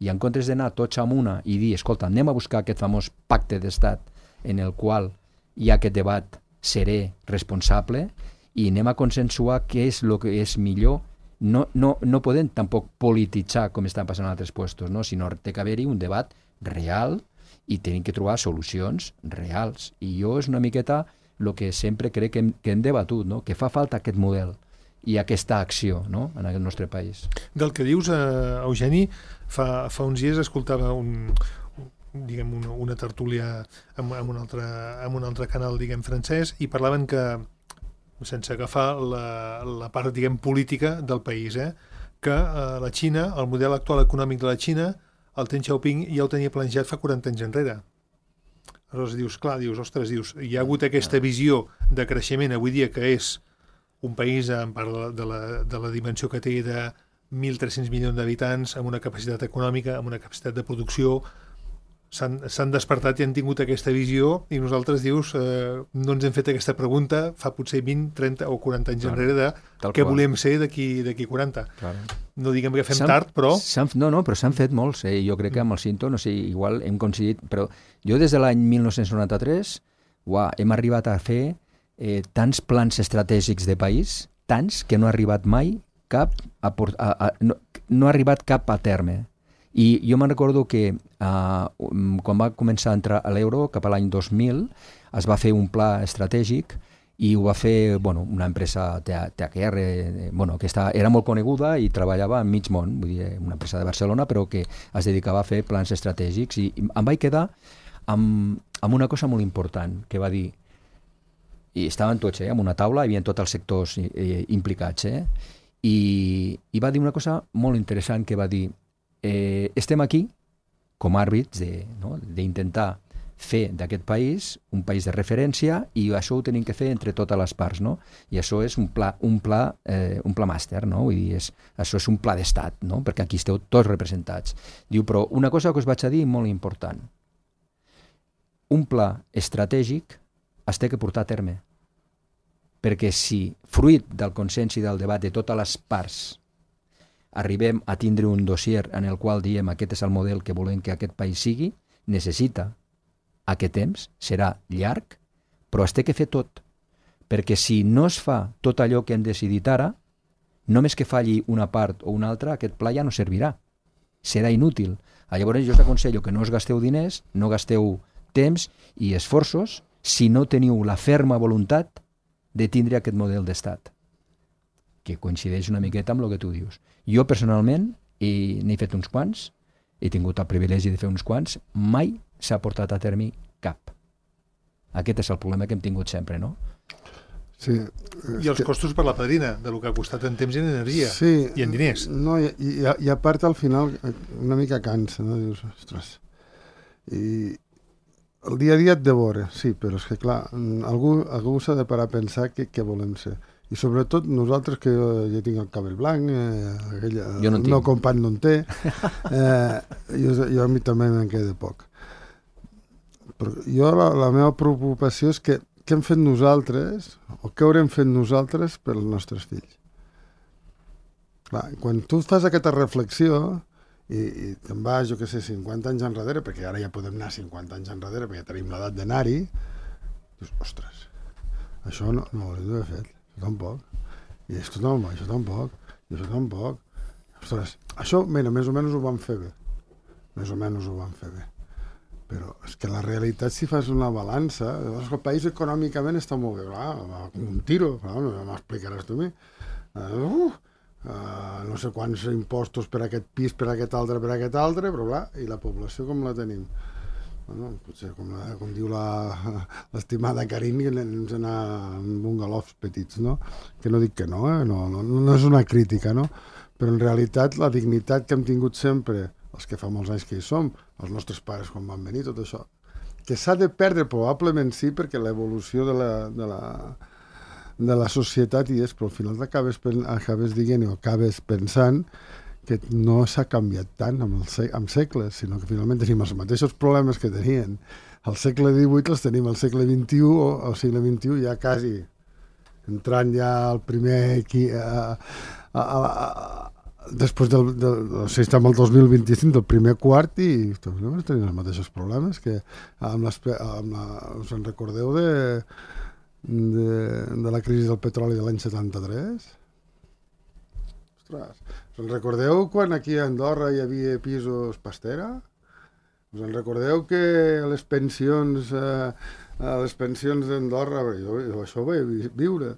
I en comptes d'anar tots amb una i dir, escolta, anem a buscar aquest famós pacte d'estat en el qual hi ha aquest debat serè, responsable, i anem a consensuar què és el que és millor. No, no, no podem tampoc polititzar com estan passant en altres puestos, no? Sinó té que haver-hi un debat real i tenim que trobar solucions reals. I jo és una miqueta el que sempre crec que hem, que hem debatut, no? Que fa falta aquest model i aquesta acció, no? En el nostre país. Del que dius, eh, Eugeni, fa, fa uns dies escoltava un, diguem, una, una tertúlia amb, amb, un altre, amb un altre canal, diguem, francès, i parlaven que, sense agafar la, la part, diguem, política del país, eh, que eh, la Xina, el model actual econòmic de la Xina, el Deng Xiaoping ja ho tenia planejat fa quaranta anys enrere. Aleshores dius, clar, dius, ostres, dius, hi ha hagut aquesta visió de creixement avui dia que és un país en part de la, de la, de la dimensió que té de mil tres-cents milions d'habitants, amb una capacitat econòmica, amb una capacitat de producció, s'han despertat i han tingut aquesta visió, i nosaltres, dius, eh, no ens hem fet aquesta pregunta fa potser vint, trenta o quaranta anys claro, enrere de què qual. volem ser d'aquí quaranta. Claro. No diguem que fem tard, però... No, no, però s'han fet molts. Eh? Jo crec que amb el Cinto, no sé, igual hem coincidit, però jo des de l'any mil nou-cents noranta-tres uah, hem arribat a fer eh, tants plans estratègics de país, tants que no ha arribat mai cap a, a, a, no, no ha arribat cap a terme. I jo me'n recordo que uh, quan va començar a entrar a l'euro, cap a l'any dos mil, es va fer un pla estratègic i ho va fer bueno, una empresa T H R bueno, que està, era molt coneguda i treballava en mig món, vull dir, una empresa de Barcelona, però que es dedicava a fer plans estratègics. I em vaig quedar amb, amb una cosa molt important, que va dir, i estaven tots eh, en una taula, hi havia tots els sectors eh, implicats, eh, i, i va dir una cosa molt interessant, que va dir, Eh, estem aquí com a àrbits d'intentar no? fer d'aquest país un país de referència, i això ho tenim que fer entre totes les parts, no? I això és un pla, un pla, eh, un pla màster, no? Vull dir, és, això és un pla d'estat, no? Perquè aquí esteu tots representats. Diu, però una cosa que us vaig a dir molt important, un pla estratègic es té que portar a terme, perquè si fruit del consens i del debat de totes les parts arribem a tindre un dossier en el qual diem aquest és el model que volem que aquest país sigui, necessita aquest temps, serà llarg, però es té que fer tot. Perquè si no es fa tot allò que hem decidit ara, només que falli una part o una altra, aquest pla ja no servirà. Serà inútil. Llavors jo us aconsello que no us gasteu diners, no gasteu temps i esforços si no teniu la ferma voluntat de tindre aquest model d'estat, que coincideix una miqueta amb el que tu dius. Jo, personalment, n'he fet uns quants, he tingut el privilegi de fer uns quants, mai s'ha portat a terme cap. Aquest és el problema que hem tingut sempre, no? Sí, I els costos per la padrina, de lo que ha costat en temps i en energia, sí, i en diners. No, i, i, i a part al final una mica cansa, no? Dius, ostres, i el dia a dia et devora, sí, però és que clar, algú, algú s'ha de parar a pensar què, què volem ser. I sobretot nosaltres, que jo, jo tinc el cabell blanc, eh, aquell, jo no el meu company no en té, eh, jo, jo a mi també me'n queda poc. Però jo la, la meva preocupació és que què hem fet nosaltres, o què haurem fet nosaltres per als nostres fills. Clar, quan tu fas aquesta reflexió, i, i te'n vas, jo què sé, cinquanta anys enrere, perquè ara ja podem anar cinquanta anys enrere, perquè ja tenim l'edat d'anar-hi, dius, ostres, això no, no ho hauríem d'haver fet, això tampoc, i esto no, això tampoc, i això tampoc. Ostres, això, mira, més o menys ho vam fer bé, més o menys ho vam fer bé. Però és que la realitat, si fas una balança, el país econòmicament està molt bé, clar, un tiro, clar, no m'explicaràs tu a mi. Uh, Uh, no sé quants impostos per aquest pis, per aquest altre, per aquest altre, però clar, i la població com la tenim? Bueno, potser com, la, com diu l'estimada Karin, que anem a anar amb bungalofs petits, no? Que no dic que no, eh? no, no, no és una crítica, no? Però en realitat la dignitat que hem tingut sempre, els que fa molts anys que hi som, els nostres pares quan van venir, tot això, que s'ha de perdre probablement sí, perquè l'evolució de la... De la de la societat i és, però al final acabes, acabes dient o acabes pensant que no s'ha canviat tant amb, el sec, amb segles, sinó que finalment tenim els mateixos problemes que tenien al segle divuit, els tenim al segle vint-i-u o al segle vint-i-u ja quasi entrant ja al primer aquí, a, a, a, a, després del, del, o sigui, estem al dos mil vint-i-cinc del primer quart i tenim els mateixos problemes que amb, les, amb la, us en recordeu de De, de la crisi del petroli de l'any setanta-tres? Ostres, us en recordeu quan aquí a Andorra hi havia pisos pastera? Us en recordeu que les pensions eh, les pensions d'Andorra, jo, jo això ho vaig viure,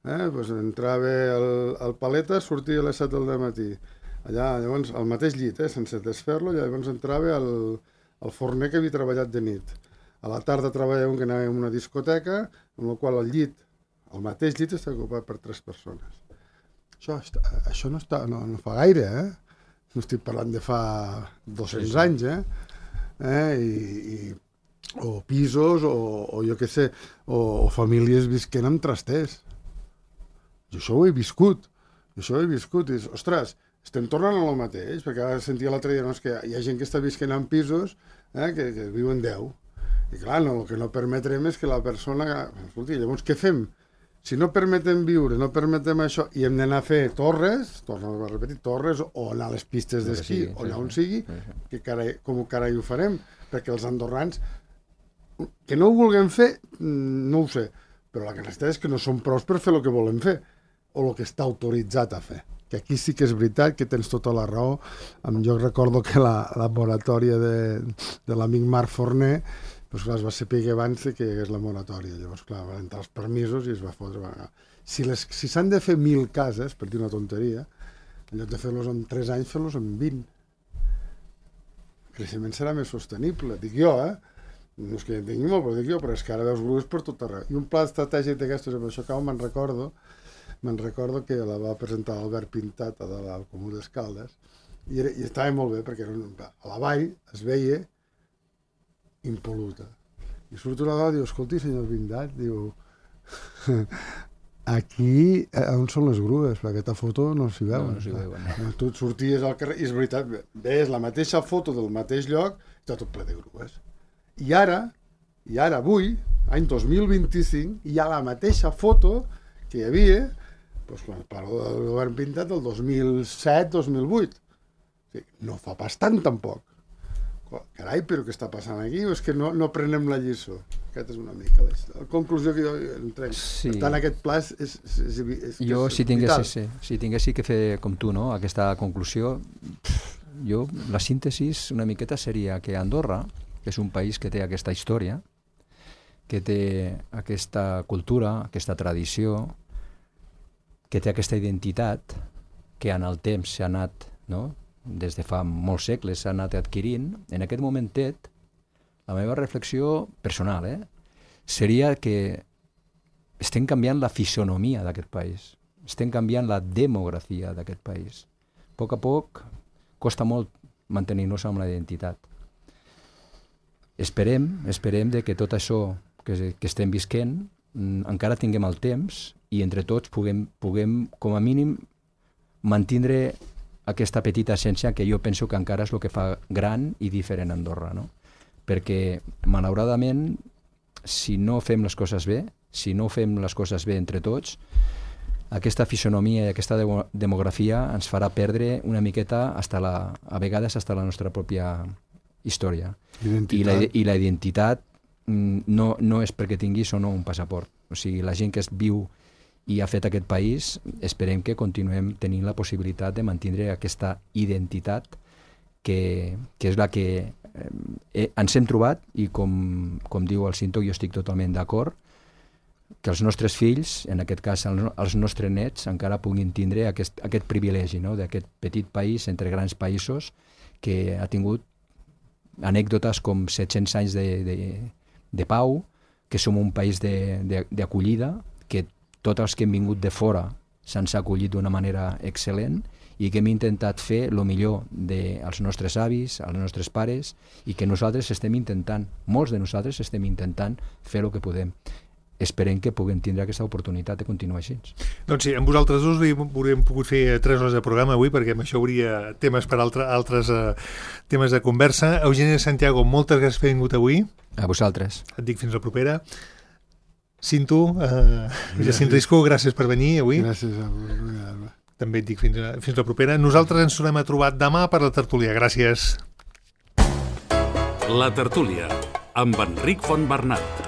eh? Pues entrava el, el paleta, sortia a les set del matí, allà, llavors, al mateix llit, eh? Sense desfer-lo, llavors entrava el, el forner que havia treballat de nit. A la tarda treballàvem que anàvem a una discoteca, amb la qual el llit, el mateix llit, està ocupat per tres persones. Això, això no, està, no, no fa gaire, eh? No estic parlant de fa dos-cents sí, sí. anys, eh? eh? I, i, o pisos, o, o jo què sé, o, o famílies visquent amb trasters. Jo això ho he viscut, això ho he viscut, i dius, ostres, estem tornant a lo mateix, perquè ara sentia l'altre dia, no, és que hi ha gent que està visquent en pisos eh, que, que viuen deu. I clar, no, el que no permetrem és que la persona... Escolti, llavors què fem? Si no permetem viure, no permetem això, i hem d'anar a fer torres, torno a repetir, torres, o anar a les pistes d'esquí, sí, o allà on sigui, que carai, com carai ho farem? Perquè els andorrans, que no ho vulguem fer, no ho sé, però la realitat és que no som prous per fer el que volem fer, o el que està autoritzat a fer. Que aquí sí que és veritat que tens tota la raó. Jo recordo que la, la moratòria de, de l'amic Marc Forner, doncs clar, es va saber abans que és la moratòria. Llavors, clar, van entrar els permisos i es va fotre... Si, les, si s'han de fer mil cases, per dir una tonteria, en lloc de fer-los en tres anys, fer-los en vint. El creixement serà més sostenible, dic jo, eh? No és que en tingui molt, però dic jo, però és que ara veus grues per tot arreu. I un pla estratègic d'aquestos, amb això que me'n recordo, me'n recordo que la va presentar l'Albert Pintat a dalt al Comú d'Escaldes, i, era, i estava molt bé, perquè era un, a la vall es veia impol·luta. I surt una dona i diu, escolti, senyor Pintat, diu, aquí, on són les grues? Perquè aquesta foto no s'hi veu. No, no s'hi veu. No. Tu et sorties al carrer, i és veritat, veus la mateixa foto del mateix lloc, està tot ple de grues. I ara, i ara avui, any dos mil vint-i-cinc, hi ha la mateixa foto que hi havia, doncs, quan parlo del govern Pintat, del dos mil set dos mil vuit. O sigui, no fa pas tant, tampoc. Carai, però què està passant aquí? O és que no, no prenem la lliçó? Aquesta és una mica la, la conclusió que jo en trec. Sí. Per tant, aquest pla és, és, és, és, jo, és si tinguessi, si tinguessi que fer com tu, no?, aquesta conclusió, jo, la síntesi una miqueta seria que Andorra, que és un país que té aquesta història, que té aquesta cultura, aquesta tradició, que té aquesta identitat, que en el temps s'ha anat, no?, des de fa molts segles s'ha anat adquirint, en aquest momentet, la meva reflexió personal, eh, seria que estem canviant la fisonomia d'aquest país, estem canviant la demografia d'aquest país. A poc a poc costa molt mantenir-nos amb la identitat. Esperem, esperem de que tot això que, que estem visquent encara tinguem el temps i entre tots puguem, puguem com a mínim mantindre aquesta petita essència que jo penso que encara és el que fa gran i diferent a Andorra, no? Perquè, malauradament, si no fem les coses bé, si no fem les coses bé entre tots, aquesta fisonomia i aquesta de- demografia ens farà perdre una miqueta, hasta la, a vegades, hasta la nostra pròpia història. Identitat. I la, i la identitat mm, no, no és perquè tinguis o no un passaport. O sigui, la gent que es viu i ha fet aquest país, esperem que continuem tenint la possibilitat de mantenir aquesta identitat que, que és la que eh, ens hem trobat i com, com diu el Cinto, jo estic totalment d'acord, que els nostres fills, en aquest cas els, els nostres nets, encara puguin tindre aquest, aquest privilegi, no? D'aquest petit país entre grans països que ha tingut anècdotes com set-cents anys de, de, de pau, que som un país d'acollida, que tots els que hem vingut de fora se'ns ha acollit d'una manera excel·lent i que hem intentat fer el millor dels nostres avis, els nostres pares, i que nosaltres estem intentant, molts de nosaltres estem intentant fer el que podem. Esperem que puguem tindre aquesta oportunitat de continuar així. Doncs sí, amb vosaltres dos hauríem pogut fer tres hores de programa avui, perquè amb això hauria temes per altre, altres uh, temes de conversa. Eugeni Santiago, moltes gràcies per haver vingut avui. A vosaltres. Et dic fins la propera. Cinto, uh, Jacint Risco, gràcies per venir avui. Gràcies a vosaltres. També et dic fins, a, fins la propera. Nosaltres ens tornem a trobar demà per la tertúlia. Gràcies. La tertúlia, amb Enric Fontbernat.